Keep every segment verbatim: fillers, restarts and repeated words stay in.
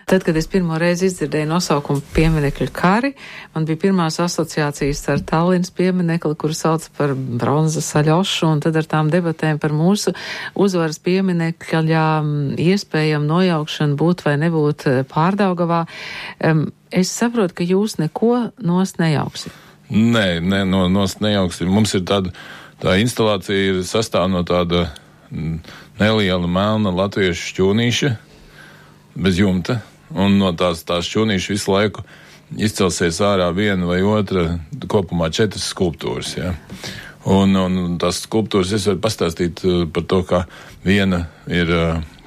Tad, kad es pirmo reizi izdzirdēju nosaukumu pieminekļu kari, man bija pirmās asociācijas ar Tallinas pieminekli, kuru sauc par bronzas aļošu, un tad ar tām debatēm par mūsu uzvaras pieminekļā iespējam nojaukšanu būt vai nebūt Pārdaugavā. Es saprotu, ka jūs neko nost nejauksit. Nē, ne, no, nost nejauksim. Mums ir tāda, tā instalācija ir sastāv no tāda neliela melna latviešu šķūnīša bez jumta, un no tās, tās šķūnīša visu laiku izcelsies ārā viena vai otra, kopumā četras skulptūras, jā. Un, un tās skulptūras es varu pastāstīt par to, ka viena ir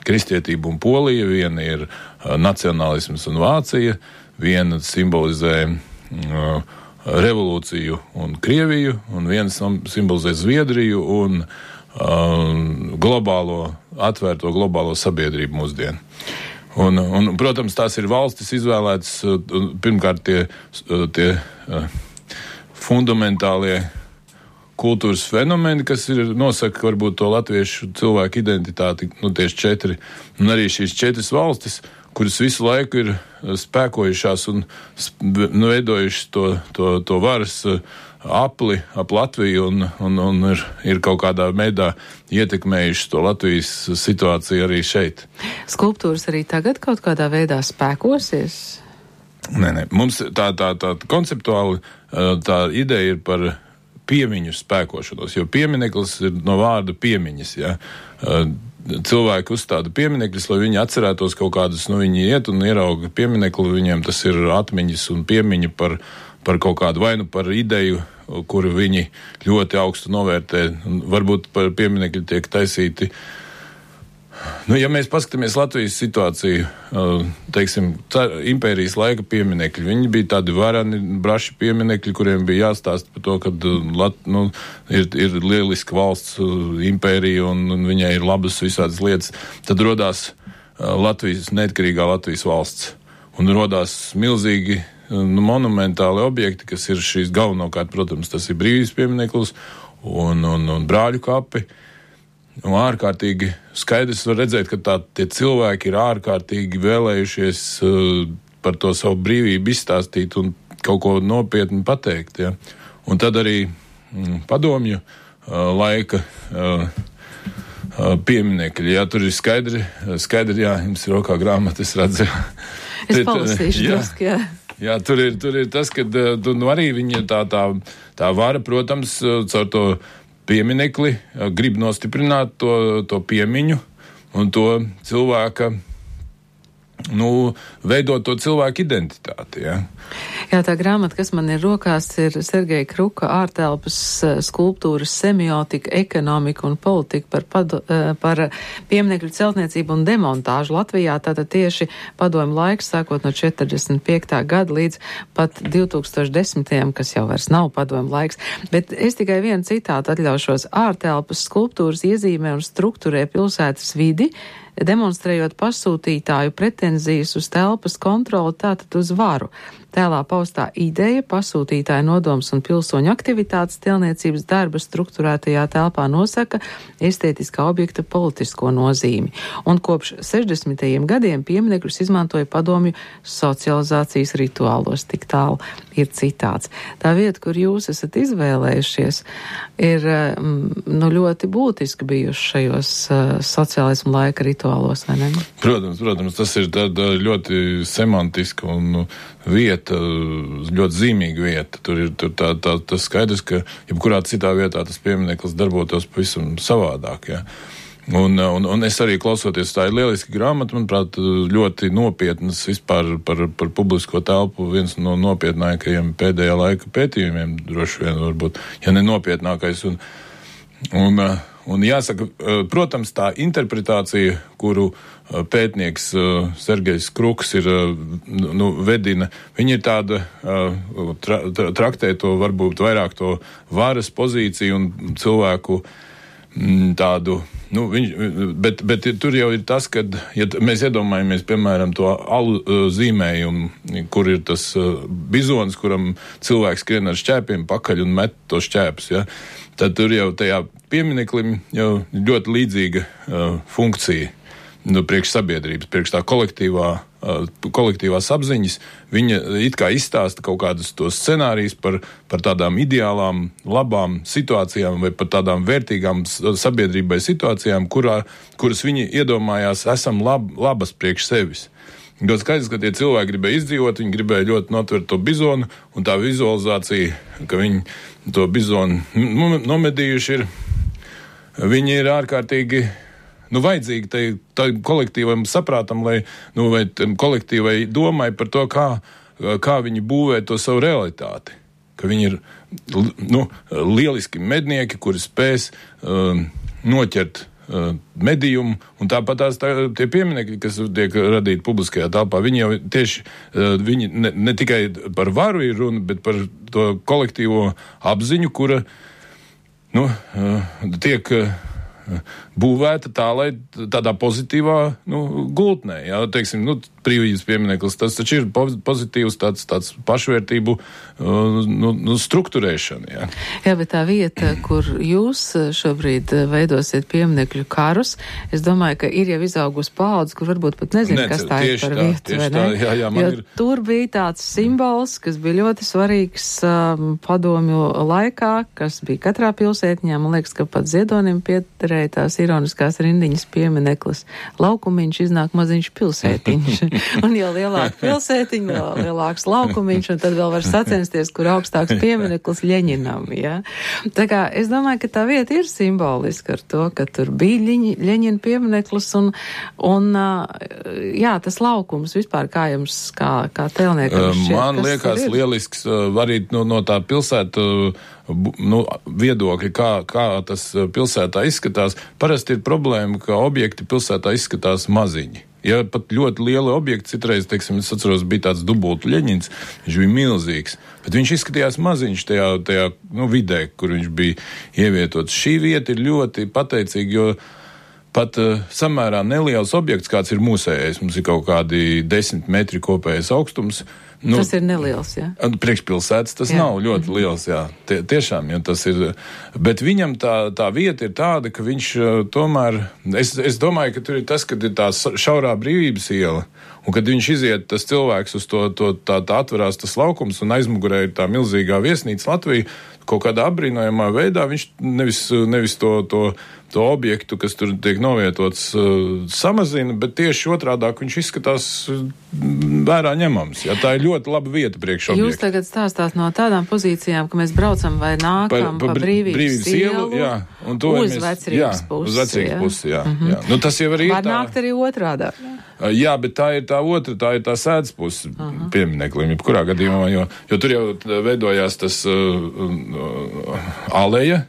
kristietība un Polija, viena ir nacionālisms un Vācija, viena simbolizē uh, revolūciju un Krieviju, un viens simbolizē Zviedriju un uh, globālo, atvērto globālo sabiedrību mūsdienu. Un, un, protams, tās ir valstis izvēlētas, pirmkārt, tie, tie uh, fundamentālie kultūras fenomeni, kas ir nosaka varbūt to latviešu cilvēku identitāti, nu tieši četri, un arī šīs četras valstis, kuras visu laiku ir spēkojušās un nu, veidojušas to, to, to varas apli ap Latviju un, un, un ir, ir kaut kādā veidā ietekmējušas to Latvijas situāciju arī šeit. Skulptūras arī tagad kaut kādā veidā spēkosies? Nē, nē. Mums tā, tā, tā konceptuāli tā ideja ir par piemiņu spēkošanos, jo piemineklis ir no vārda piemiņas, ja. Cilvēki uzstāda pieminekļus, lai viņi atcerētos kaut kādus, nu viņi iet un ierauga pieminekli, viņiem tas ir atmiņas un piemiņa par, par kaut kādu vainu, par ideju, kuru viņi ļoti augstu novērtē. Varbūt par pieminekļu tiek taisīti. Nu, ja mēs paskatāmies Latvijas situāciju, teiksim, impērijas laika pieminekļi, viņi bija tādi varani, braši pieminekļi, kuriem bija jāstāst par to, ka Lat, nu, ir, ir lieliska valsts impērija un, un viņai ir labas visādas lietas. Tad rodās Latvijas, neatkarīgā Latvijas valsts. Un rodās milzīgi nu, monumentāli objekti, kas ir šīs galvenokārt, protams, tas ir brīvības piemineklis un, un, un brāļu kapi. Un ārkārtīgi skaidrs var redzēt, ka tā, tie cilvēki ir ārkārtīgi vēlējušies uh, par to savu brīvību izstāstīt un kaut ko nopietni pateikt. Ja. Un tad arī mm, padomju uh, laika uh, uh, pieminekļi. Jā, tur ir skaidri, skaidri, jā, jums ir rokā grāmata, es redzu. Es palasīšu drusku, jā. Jā, tur ir, tur ir tas, ka nu, arī viņa tā, tā, tā vara, protams, caur to pieminekli, grib nostiprināt to, to piemiņu un to cilvēka, nu, veidot to cilvēku identitāti, jā. Jā, tā grāmata, kas man ir rokās, ir Sergeja Kruka ārtelpas skulptūras semiotika, ekonomika un politika par, padu, par pieminekļu celtniecību un demontāžu Latvijā. Tātad tieši padomju laiks, sākot no četrdesmit piektā gada līdz pat divtūkstoš desmitajam, kas jau vairs nav padomju laiks. Bet es tikai vienu citātu atļaušos. Ārtelpas skulptūras iezīmē un strukturē pilsētas vidi, demonstrējot pasūtītāju pretenzijas uz telpas kontroli, tātad uz varu. Tēlā paustā ideja, pasūtītāja nodoms un pilsoņu aktivitātes telniecības darba strukturētajā telpā nosaka estētiskā objekta politisko nozīmi. Un kopš sešdesmitajiem gadiem pieminekļus izmantoja padomju socializācijas rituālos. Tik tālu ir citāts. Tā vieta, kur jūs esat izvēlējušies, ir nu, ļoti būtiski bijuši šajos uh, sociālismu laika rituālos, vai ne? Protams, protams, tas ir tāda ļoti semantiska un vieta, ļoti zīmīga vieta. Tur ir tur tā, tā, tas skaidrs, ka jebkurā citā vietā tas piemineklis darbotos pavisam savādāk, jā. Un, un, un es arī klausoties, tā ir lieliski grāmata, manuprāt, ļoti nopietnas vispār par, par publisko telpu, viens no nopietnākajiem pēdējā laika pētījumiem, droši vien varbūt, ja ne nopietnākais. Un, un, un jāsaka, protams, tā interpretācija, kuru pētnieks Sergejs Kruks ir, nu, vedina, viņa ir tāda, tra, traktē to varbūt vairāk to varas pozīciju un cilvēku tādu, nu, viņš, bet, bet tur jau ir tas, kad, ja mēs iedomājamies, piemēram, to alu zīmējumu, kur ir tas bizons, kuram cilvēks skrien ar šķēpiem pakaļ un met to šķēpus, ja, tad tur jau tajā piemineklim jau ļoti līdzīga uh, funkcija, nu, priekš sabiedrības, priekš tā kolektīvā kolektīvās apziņas, viņa it kā izstāsta kaut kādus tos scenārijus par, par tādām ideālām, labām situācijām vai par tādām vērtīgām sabiedrībai situācijām, kurā, kuras viņi iedomājās esam lab, labas priekš sevis. Ļoti skaidrs, ka tie cilvēki gribēja izdzīvot, viņi gribēja ļoti notvert to bizonu, un tā vizualizācija, ka viņi to bizonu nomedījuši ir, viņi ir ārkārtīgi Nu, vajadzīgi tai, tai kolektīvam saprātam, lai, nu, vai kolektīvai domai par to, kā, kā viņi būvē to savu realitāti. Ka viņi ir, nu, lieliski mednieki, kuri spēs um, noķert uh, medījumu, un tāpat tās tā, tie pieminekļi, kas tiek radīti publiskajā telpā, viņi jau tieši, uh, viņi ne, ne tikai par varu ir runa, bet par to kolektīvo apziņu, kura, nu, uh, tiek... Uh, būvēta tā, lai tādā pozitīvā nu, gultnē, jā, teiksim, nu, brīvības piemineklis, tas taču ir pozitīvs tāds, tāds pašvērtību nu, nu, strukturēšana, jā. Jā, bet tā vieta, kur jūs šobrīd veidosiet pieminekļu karus, es domāju, ka ir jau izaugus paudze, kur varbūt pat nezinu, Nece, kas tā ir par tā, vietu, vai ne? Tā, jā, jā, jo ir... tur bija tāds simbols, kas bija ļoti svarīgs um, padomju laikā, kas bija katrā pilsētņā, man liekas, ka pat Ziedonim piederēja tās ironiskās rindiņas piemineklis. Laukumiņš iznāk maziņš pilsētiņš. Un jau lielāka pilsētiņa, vēl lielāks laukumiņš, un tad vēl var sacensties, kur augstāks piemineklis Ļeņinam, jā. Tā kā es domāju, ka tā vieta ir simboliska ar to, ka tur bija Ļeņi, Ļeņina piemineklis, un, un jā, tas laukums vispār kā jums, kā, kā tēlniekam šķiet, man liekas lielisks arī no, no tā pilsēta nu, viedokļi, kā, kā tas pilsētā izskatās. Parasti ir problēma, ka objekti pilsētā izskatās maziņi. Ja pat ļoti liela objekta, citreiz, teiksim, es atceros, bija tāds dubultu Ļeņins, viņš bija milzīgs, bet viņš izskatījās maziņš tajā, tajā nu, vidē, kur viņš bija ievietots. Šī vieta ir ļoti pateicīga, jo pat uh, samērā neliels objekts, kāds ir mūsējais, mums ir kaut kādi desmit metri kopējais augstums. Nu, tas ir neliels, jā? Priekšpilsētas tas jā. Nav ļoti mm-hmm. liels, jā. Tie, tiešām, ja tas ir. Bet viņam tā, tā vieta ir tāda, ka viņš uh, tomēr, es, es domāju, ka tur ir tas, kad ir tā šaurā Brīvības iela, un kad viņš iziet, tas cilvēks uz to, to tā, tā atverās tas laukums, un aizmugurē ir tā milzīgā viesnīca Latvija, kaut kādā apbrīnojamā veidā viņš nevis, nevis to, to, to objektu, kas tur tiek novietots, uh, samazina, bet tieši otrādāk viņš izskatās uh, vērā ņemams. Ja, tā ir ļoti laba vieta priekš objektu. Jūs tagad stāstāt no tādām pozīcijām, ka mēs braucam vai nākam pa, pa, pa Brīvības, brīvības ielu, jā, un to uz mēs, Vecrīgas pusi. Uz Vecrīgas pusi, jā. Mm-hmm. jā. Nu, tas jau arī ir tā. Var nākt arī otrādā. Jā, bet tā ir tā otra, tā ir tā sēdes puses uh-huh. piemineklim, jebkurā gadījumā, jo, jo tur jau veidojās tas uh, uh, aleja,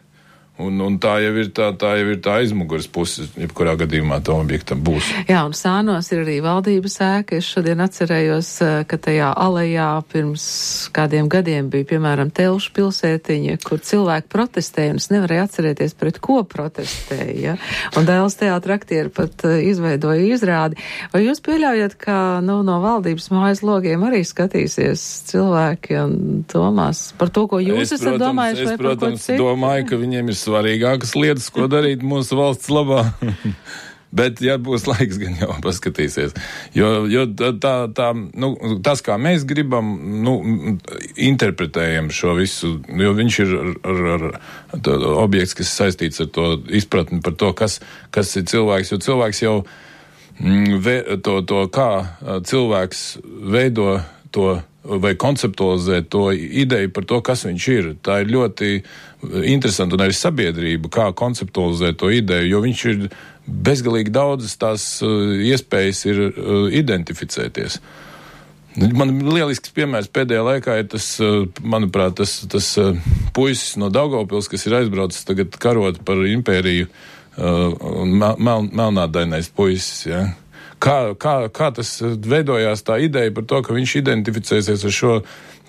un, un tā jau ir tā, tā jau ir tā aizmuguras puses, jebkurā gadījumā tam objektam būs. Jā, un Sānos ir arī valdības ēka. Es šodien atcerējos, ka tajā alejā pirms kādiem gadiem bija, piemēram, Telšu pilsētiņa, kur cilvēki protestēja, un es nevarēju atcerēties, pret ko protestēja. Ja? Un Dēls teātra aktieri pat izveidoja izrādi. Vai jūs pieļaujat, ka nu, no valdības mājas logiem arī skatīsies cilvēki un domās par to, ko jūs es, esat protams, domājuši, vai es, protams, par ko citu? Es domāju, ka viņiem ir svarīgākas lietas, ko darīt mūsu valsts labā. Bet, ja būs laiks, gan jau paskatīsies. Jo, jo tā, tā, nu, tas, kā mēs gribam, nu, interpretējam šo visu, jo viņš ir ar, ar, ar objekts, kas saistīts ar to izpratni par to, kas, kas ir cilvēks, jo cilvēks jau to, to kā cilvēks veido to vai konceptualizē to ideju par to, kas viņš ir. Tā ir ļoti interesanti, un arī sabiedrība, kā konceptualizē to ideju, jo viņš ir bezgalīgi daudzas tās uh, iespējas ir uh, identificēties. Man lielisks piemērs pēdējā laikā ir tas, uh, manuprāt, tas, tas uh, puisis no Daugavpils, kas ir aizbraucis tagad karot par impēriju, uh, un mel, mel, melnādainais puisis, ja. Kā, kā, kā tas veidojās tā ideja par to, ka viņš identificēsies ar šo,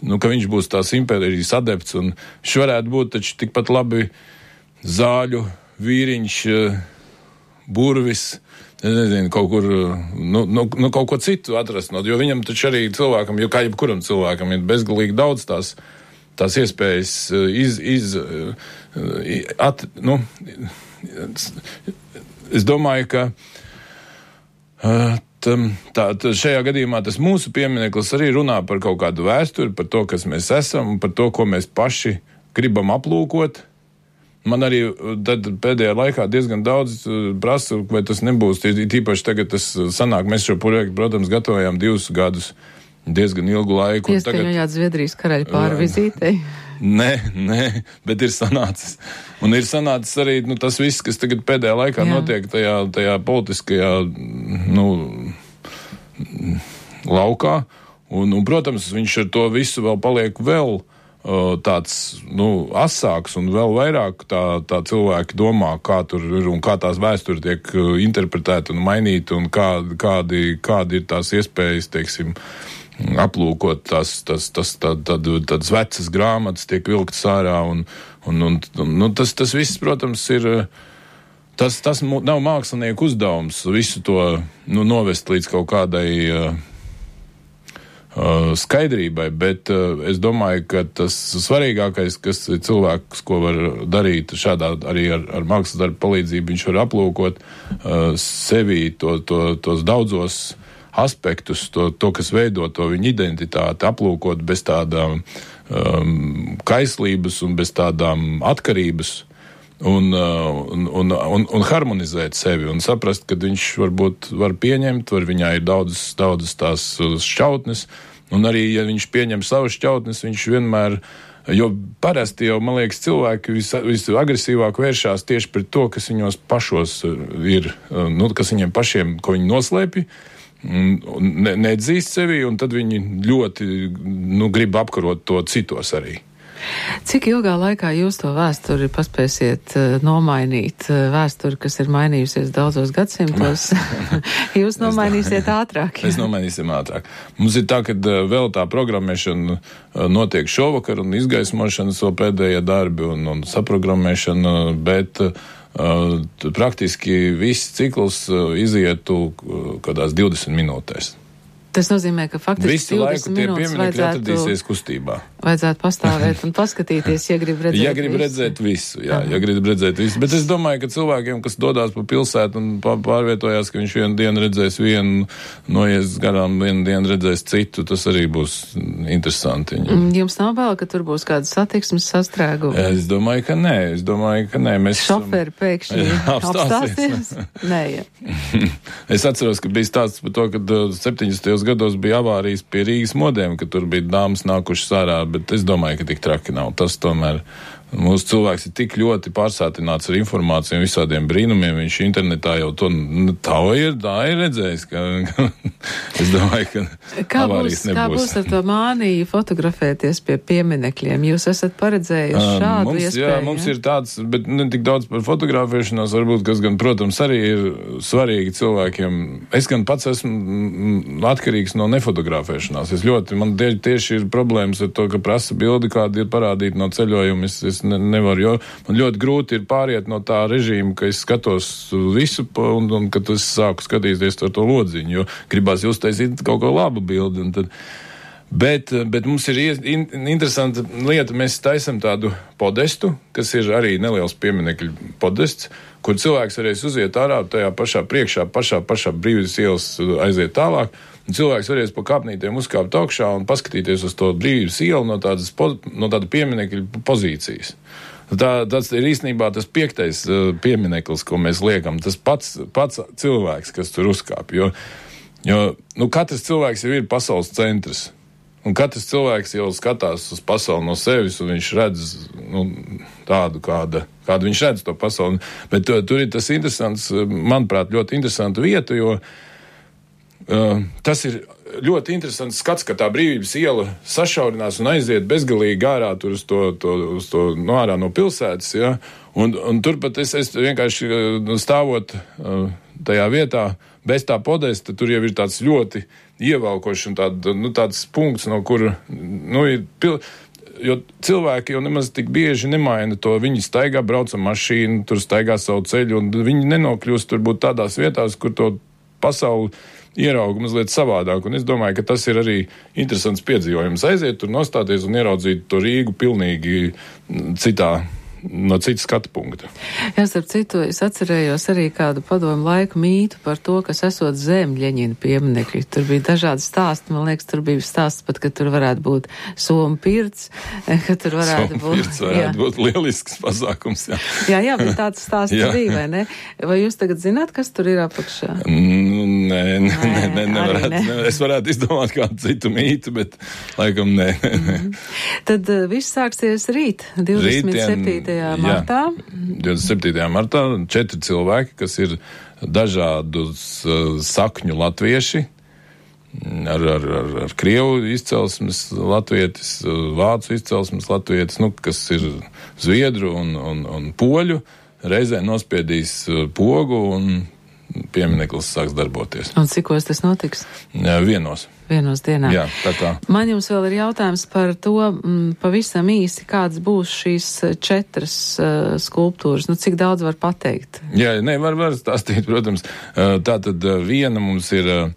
nu, ka viņš būs tās impērijas adepts, un viņš varētu būt taču tikpat labi zāļu vīriņš, burvis, nezinu, kaut kur, nu, nu, nu kaut ko citu atrast, jo viņam taču arī cilvēkam, jo kā jebkuram cilvēkam ir bezgalīgi daudz tās, tās iespējas iz, iz, at, nu, es domāju, ka Uh, tā, tā šajā gadījumā tas mūsu piemineklis arī runā par kaut kādu vēsturi, par to, kas mēs esam, par to, ko mēs paši gribam aplūkot. Man arī tad pēdējā laikā diezgan daudz prasa, vai tas nebūs, tīpaši tagad tas sanāk, mēs šo projektu, protams, gatavojām divus gadus, diezgan ilgu laiku. Ieskaņojāt Zviedrijas karaļa pārvizītei? Nē, nē, bet ir sanācis. Un ir sanācis arī nu, tas viss, kas tagad pēdējā laikā Jā. notiek tajā, tajā politiskajā nu, laukā. Un, un, protams, viņš ar to visu vēl paliek vēl uh, tāds nu, asāks un vēl vairāk tā, tā cilvēki domā, kā tur ir un kā tās vēsturi tiek uh, interpretēta un mainīta un kā, kādi, kādi ir tās iespējas, teiksim, aplūkot tās, tas, tas, tā, tad, tādas vecas grāmatas tiek vilktas ārā un, un, un, un nu, tas, tas viss, protams, ir, tas, tas nav mākslinieku uzdevums visu to nu, novest līdz kaut kādai uh, uh, skaidrībai, bet uh, es domāju, ka tas svarīgākais, kas cilvēks, ko var darīt šādā arī ar, ar mākslas darbu palīdzību, viņš var aplūkot uh, sevī to, to, tos daudzos aspektus, to, to, kas veido to viņa identitāti, aplūkot bez tādām um, kaislības un bez tādām atkarības un, uh, un, un, un, un harmonizēt sevi un saprast, ka viņš varbūt var pieņemt, var viņā ir daudzas, daudzas tās šķautnes, un arī, ja viņš pieņem savas šķautnes, viņš vienmēr, jo parasti jau, man liekas, cilvēki vis, visagresīvāk vēršās tieši pret to, kas viņos pašos ir, nu, kas viņiem pašiem, ko viņi noslēpj, Ne, neatzīst sevi, un tad viņi ļoti nu, grib apkarot to citos arī. Cik ilgā laikā jūs to vēsturi paspēsiet uh, nomainīt? Uh, vēsturi, kas ir mainījusies daudzos gadsimtos, jūs nomainīsiet ātrāk. Mēs nomainīsim ātrāk. Mums ir tā, ka uh, vēl tā programmēšana uh, notiek šovakar un izgaismošana so pēdējie darbi un, un saprogrammēšana, bet uh, Uh, praktiski viss cikls uh, izietu uh, kādās divdesmit minūtēs. Tas nozīmē, ka faktiski visu laiku tie pieminekļi atradīsies kustībā. Vajadzētu pastāvēt un paskatīties, ja grib redzēt ja grib visu. redzēt visu, jā, ja grib redzēt visu. Bet es domāju, ka cilvēkiem, kas dodās pa pilsētu un pārvietojās, ka viņš vienu dienu redzēs vienu, noies garām, vienu dienu redzēs citu, tas arī būs interesanti. Jums nav vēl, ka tur būs kāda satiksmes sastrēguma? Es domāju, ka nē. Es domāju, ka nē. Mēs Šoferi pēkšņi apstāsies? Nē, jā. Es atceros, ka bija stāsts par to, ka septiņdesmitajos gados bija avārijas pie Rīgas modiem, ka tur bija dāmas nākušas ārā, bet es domāju, ka tik traki nav. Tas tomēr mūsu cilvēks ir tik ļoti pārsātināts ar informāciju un visādiem brīnumiem. Viņš internetā jau to tā ir, tā ir redzējis, ka, ka es domāju, ka kā avārijas būs, nebūs. Kā būs ar to māniju fotografēties pie pieminekļiem? Jūs esat paredzējuši šādu mums, iespēju? Jā, mums ir tāds, bet ne tik daudz par fotografēšanos, varbūt, kas gan, protams, arī ir svarīgi cilvēkiem. Es gan pats esmu atkarīgs no nefotografēšanās. Es ļoti, man tieši ir problēmas ar to, ka prasa bildi, kādi ir parādīti no ceļojuma. Es, es ne, nevaru, jo man ļoti grūti ir pāriet no tā režīma, ka es skatos visu un, un kad es sāku skatīties ar to lodziņu, jo gribās uztaisīt kaut ko labu bildi. Un tad, bet, bet mums ir in, interesanta lieta, mēs taisam tādu podestu, kas ir arī neliels pieminekļu podests, kur cilvēks varēs uziet ārā tajā pašā priekšā, pašā, pašā Brīvības ielas aiziet tālāk. Un cilvēks varēs pa kāpnītiem uzkāpt augšā un paskatīties uz to Brīvības ielu no tādas, no tāda pieminekļa pozīcijas. Tā, tas ir īstenībā tas piektais uh, piemineklis, ko mēs liekam. Tas pats, pats cilvēks, kas tur uzkāp. Jo, jo nu, katrs cilvēks jau ir pasaules centrs. Un katrs cilvēks jau skatās uz pasauli no sevis, un viņš redz nu, tādu, kāda, kādu viņš redz to pasauli. Bet uh, tur ir tas interesants, manuprāt, ļoti interesanta vieta, jo Uh, tas ir ļoti interesants skats, ka tā Brīvības iela sašaurinās un aiziet bezgalīgi ārā tur uz to, to, uz to no ārā no pilsētas, ja? un, un turpat es, es vienkārši uh, stāvot uh, tajā vietā, bez tā podesta, tur jau ir tāds ļoti ievelkošs un tād, nu, tāds punkts, no kura, nu, ir pil... Jo cilvēki jau nemaz tik bieži nemaina to. Viņi staigā, brauc ar mašīnu, tur staigā savu ceļu, un viņi nenokļūst turbūt tādās vietās, kur to pasauli ierauga mazliet savādāk, un es domāju, ka tas ir arī interesants piedzīvojums. Aiziet tur, nostāties un ieraudzīt to Rīgu pilnīgi citā, no citas skatu punkta. Jā, starp citu, es atcerējos arī kādu padomu laiku mītu par to, kas esot zem Ļeņina pieminekļi. Tur bija dažādi stāsti, man liekas, tur bija stāsts pat, ka tur varētu būt Somu pirts, ka tur varētu Somu būt... pirts varētu jā. būt lielisks pasākums, jā. jā, jā, bet tāds stāsts bija, vai ne? Vai jūs tagad zināt, kas tur ir apakšā? Nē, nē, nē, nē, nevarētu, ne. Ne. Es varētu izdomāt kādu citu mītu, bet laikam nē. Mm-hmm. Tad uh, viss sāksies rīt, divdesmit septītajā martā. divdesmit septītajā martā četri cilvēki, kas ir dažādus uh, sakņu latvieši, ar, ar, ar, ar krievu izcelsmes latvietis, vācu izcelsmes latvietis, nu, kas ir zviedru un, un, un poļu, reizē nospiedīs pogu un piemineklis sāks darboties. Un cikos tas notiks? Jā, vienos. Vienos dienā. Jā, tā kā. Man jums vēl ir jautājums par to, m, pavisam īsi, kāds būs šīs četras uh, skulptūras. Nu, cik daudz var pateikt? Jā, ne, var, var stāstīt, protams. Tā tad viena mums ir uh,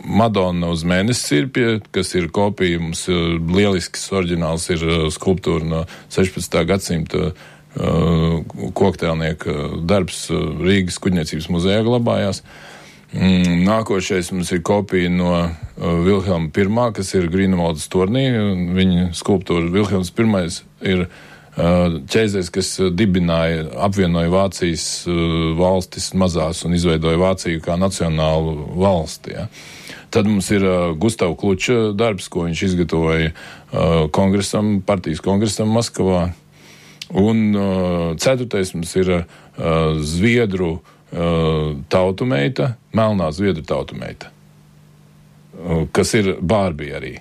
Madonna uz mēnesi sirpja, kas ir kopija, mums lielisks oriģināls ir skulptūra no sešpadsmitā gadsimta Uh, koktēlnieka darbs Rīgas kuģniecības muzejā glabājās. Mm, nākošais mums ir kopija no uh, Vilhelma pirmā, kas ir Grīnevaldas tornī. Viņa skulptūra Vilhelms pirmais ir uh, ķēzēs, kas dibināja, apvienoja Vācijas uh, valstis mazās un izveidoja Vāciju kā nacionālu valsti. Ja. Tad mums ir uh, Gustava Kluča darbs, ko viņš izgatavoja uh, kongresam, partijas kongresam Maskavā. Un uh, ceturtais mums ir uh, Zviedru uh, tautumeita, melnā Zviedru tautumeita, uh, kas ir Bārbija arī.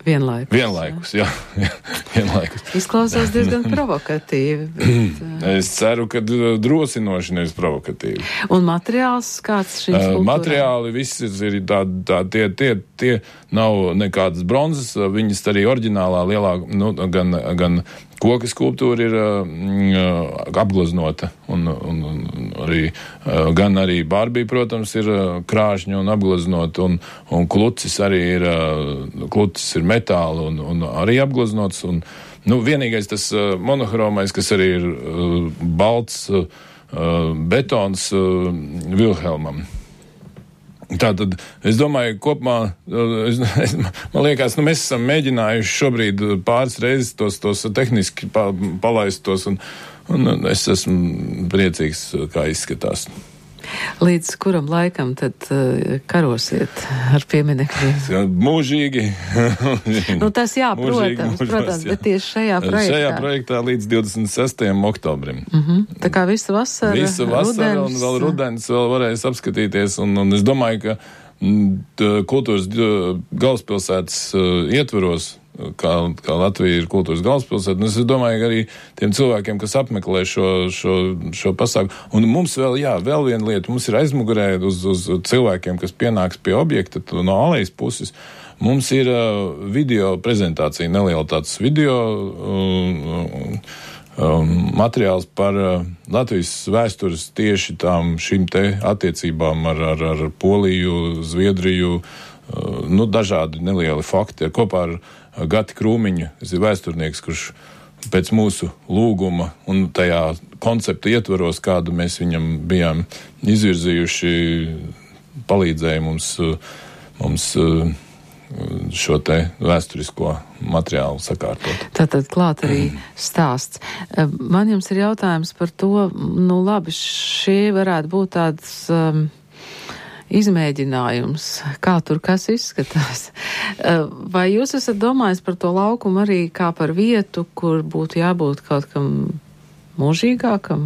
Vienlaikus. Vienlaikus, jā. jā vienlaikus. Izklausās diezgan provokatīvi. Bet, uh... Es ceru, ka drosinoši nevis provokatīvi. Un materiāls kāds šīm skulptūrām? Uh, materiāli viss ir tādi, tā, tie, tie, tie nav nekādas bronzas, viņas arī oriģinālā lielā, nu, gan, gan koka skulptūra ir uh, apgleznota, un, un, un arī, uh, gan arī Bārbija, protams, ir uh, krāšņa un apgleznota, un, un klucis arī ir, uh, klucis ir metāla un, un arī apgleznots, un, nu, vienīgais tas uh, monohromais, kas arī ir uh, balts uh, betons uh, Vilhelmam. Tātad, es domāju, kopumā, es, es, man liekas, nu, mēs esam mēģinājuši šobrīd pāris reizes tos, tos tehniski pa, palaist tos, un, un es esmu priecīgs, kā izskatās. Līdz kuram laikam tad uh, karosiet ar pieminekļiem? Mūžīgi. Nu, tas jā, mūžīgi, protams, mūžos, protams, jā. Bet tieši šajā projektā. Šajā projektā līdz divdesmit sestajam oktobrim. Uh-huh. Tā kā visa vasara, Visa vasara rudens. Un vēl rudens vēl varēs apskatīties, un, un es domāju, ka t, kultūras galvaspilsētas uh, ietveros, kā, kā Latvija ir kultūras galvaspilsēta, un es domāju, ka arī tiem cilvēkiem, kas apmeklē šo, šo, šo pasākumu, un mums vēl, jā, vēl viena lieta, mums ir aizmugurē uz, uz cilvēkiem, kas pienāks pie objekta no alejas puses, mums ir uh, video prezentācija, neliela tāds video uh, um, materiāls par uh, Latvijas vēstures tieši tām šīm te attiecībām ar, ar, ar Poliju, Zviedriju, uh, nu, dažādi nelieli fakti, kopā ar Gati Krūmiņu, tas ir vēsturnieks, kurš pēc mūsu lūguma un tajā koncepta ietvaros, kādu mēs viņam bijām izvirzījuši, palīdzēja mums, mums šo te vēsturisko materiālu sakārtot. Tātad klāt arī stāsts. Man jums ir jautājums par to, nu labi, šie varētu būt tāds um, izmēģinājums, kā tur kas izskatās. Vai jūs esat domājis par to laukumu arī kā par vietu, kur būtu jābūt kaut kam mūžīgākam?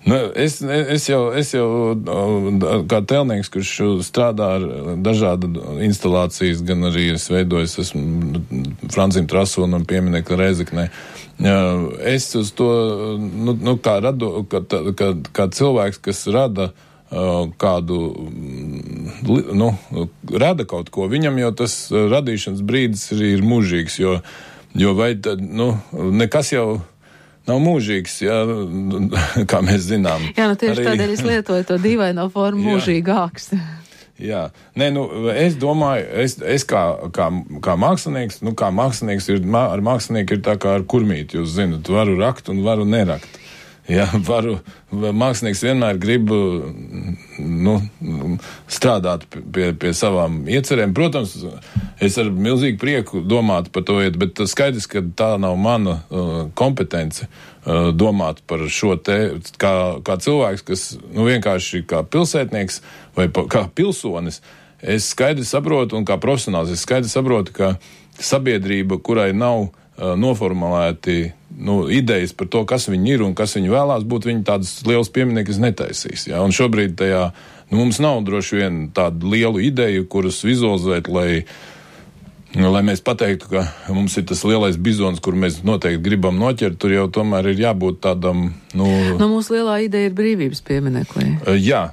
Nu, es, es, jau, es jau kā tēlnieks, kurš strādā ar dažādu instalācijas, gan arī es veidojos, esmu Francim Trasonam pieminekli Rēzeknē. Es uz to, nu, nu kā, rado, kā, kā, kā cilvēks, kas rada kādu, nu, rada kaut ko, viņam jau tas radīšanas brīdis arī ir mūžīgs, jo, jo vai tad, nu, nekas jau nav mūžīgs, jā, kā mēs zinām. Jā, nu tieši arī... tādēļ es lietoju to dīvaino formu mūžīgāks. Jā, nē, nu, es domāju, es, es kā, kā, kā mākslinieks, nu, kā mākslinieks ir, ar mākslinieku ir tā kā ar kurmīti, jūs zinat, varu rakt un varu nerakt. Jā, varu, mākslinieks vienmēr grib, nu, strādāt pie, pie savām iecerēm. Protams, es ar milzīgu prieku domātu par to, bet skaidrs, ka tā nav mana uh, kompetence uh, domāt par šo te, kā, kā cilvēks, kas, nu, vienkārši kā pilsētnieks vai pa, kā pilsonis, es skaidri saprotu, un kā profesionāls, es skaidri saprotu, ka sabiedrība, kurai nav uh, noformulēti nu, idejas par to, kas viņi ir un kas viņi vēlās būt, viņi tādas lielas pieminiekas netaisīs. Ja? Un šobrīd tajā, nu, mums nav droši vien tādu lielu ideju, kuras vizualizēt, lai, lai mēs pateiktu, ka mums ir tas lielais bizons, kur mēs noteikti gribam noķert, tur jau tomēr ir jābūt tādam, nu... Nu, mūsu lielā ideja ir brīvības piemineklī. Jā,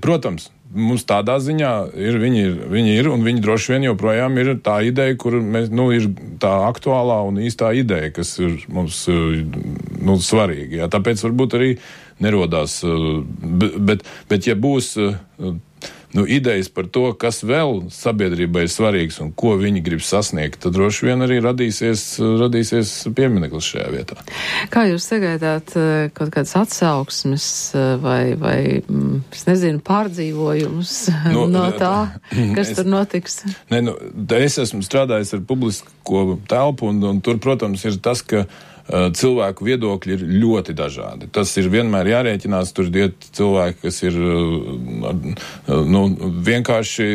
protams. Mums tādā ziņā ir, viņi ir, viņi ir, un viņi droši vien joprojām ir tā ideja, kur mēs, nu, ir tā aktuālā un īstā ideja, kas ir mums, nu, svarīga. Jā. Tāpēc varbūt arī nerodās, bet, bet ja būs, nu, idejas par to, kas vēl sabiedrībai ir svarīgs un ko viņi grib sasniegt, tad droši vien arī radīsies, radīsies piemineklis šajā vietā. Kā jūs sagaidāt kaut kādas atsauksmes vai, vai es nezinu, pārdzīvojumus no, no tā, kas es, tur notiks? Ne, nu, es esmu strādājis ar publisko telpu, un, un tur, protams, ir tas, ka cilvēku viedokļi ir ļoti dažādi. Tas ir vienmēr jārēķinās, tur iet cilvēki, kas ir nu, vienkārši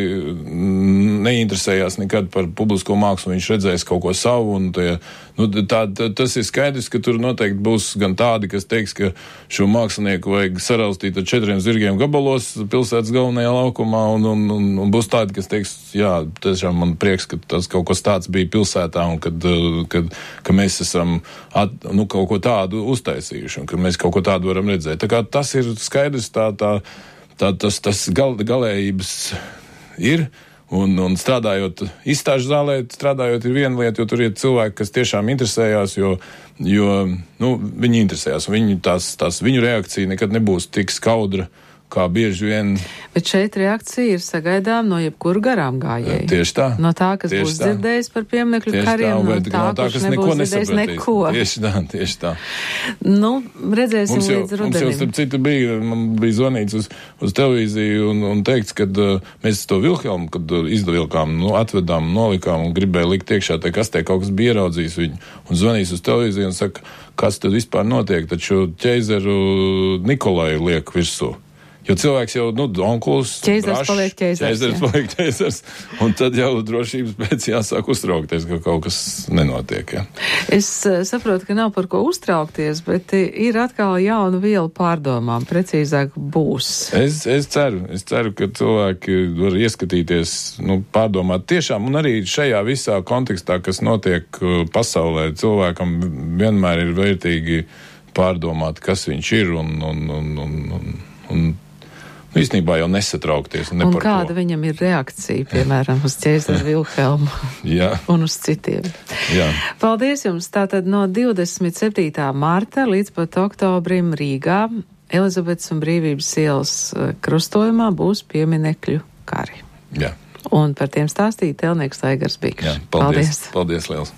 neinteresējās nekad par publisko mākslu, viņš redzēs kaut ko savu, un tie, nu, tā, tā, tas ir skaidrs, ka tur noteikti būs gan tādi, kas teiks, ka šo mākslinieku vajag saraustīt ar četriem zirgiem gabalos pilsētas galvenajā laukumā, un, un, un, un būs tādi, kas teiks, jā, tiešām man prieks, ka tas kaut kas tāds bija pilsētā, un kad, kad, ka mēs esam At, nu, kaut ko tādu uztaisījuši, un ka mēs kaut ko tādu varam redzēt. Tā kā tas ir skaidrs, tā, tā, tā, tas, tas gal, galējības ir, un, un strādājot izstāžu zālē, strādājot ir viena lieta, jo tur ir cilvēki, kas tiešām interesējās, jo, jo nu, viņi interesējās, un viņi, tās, tās, viņu reakcija nekad nebūs tik skaudra, kā bieži vien. Bet šeit reakcija ir sagaidām no jebkura garām gājēja. Tieši tā. No tā, kas tieši būs tā. dzirdējis par pieminekļu kariem, tā, no bet, tā, no tā, kurš kas nebūs neko dzirdējis neko. Tieši tā, tieši tā. Nu, redzēsim mums jau, līdz rudenim. Mums jau, starp citu, bija, man bija zvanīts uz, uz televīziju un, un teikts, kad uh, mēs to Vilhelmu, kad uh, izdavilkām, nu, atvedām, nolikām un gribēja likt iekšā, te kastē kaut kas bija ieraudzījis viņu. Un zvanīs uz televīziju un saka, kas tad vispār notiek, taču ķeizeru Nikolai liek virsū. Jo cilvēks jau, nu, onkulis, ķeizars paliek ķeizars. Ķeizars paliek ķeizars, un tad jau drošības pēc jāsāk uztraukties, ka kaut kas nenotiek, ja. Es uh, saprotu, ka nav par ko uztraukties, bet ir atkal jauna viela pārdomām, precīzāk būs. Es, es ceru, es ceru, ka cilvēki var ieskatīties, nu, pārdomāt tiešām, un arī šajā visā kontekstā, kas notiek pasaulē, cilvēkam vienmēr ir vērtīgi pārdomāt, kas viņš ir, un, un, un, un, un, un īstenībā jau nesatraukties. Un kāda viņam ir reakcija, piemēram, uz ķeizaru Vilhelmu un uz citiem. Jā. Paldies jums. Tātad no divdesmit septītā marta līdz pat oktobrim Rīgā Elizabetes un Brīvības ielas krustojumā būs pieminekļu kari. Jā. Un par tiem stāstīja Telnieks Aigars Bikšs. Jā, paldies. Paldies, paldies liels.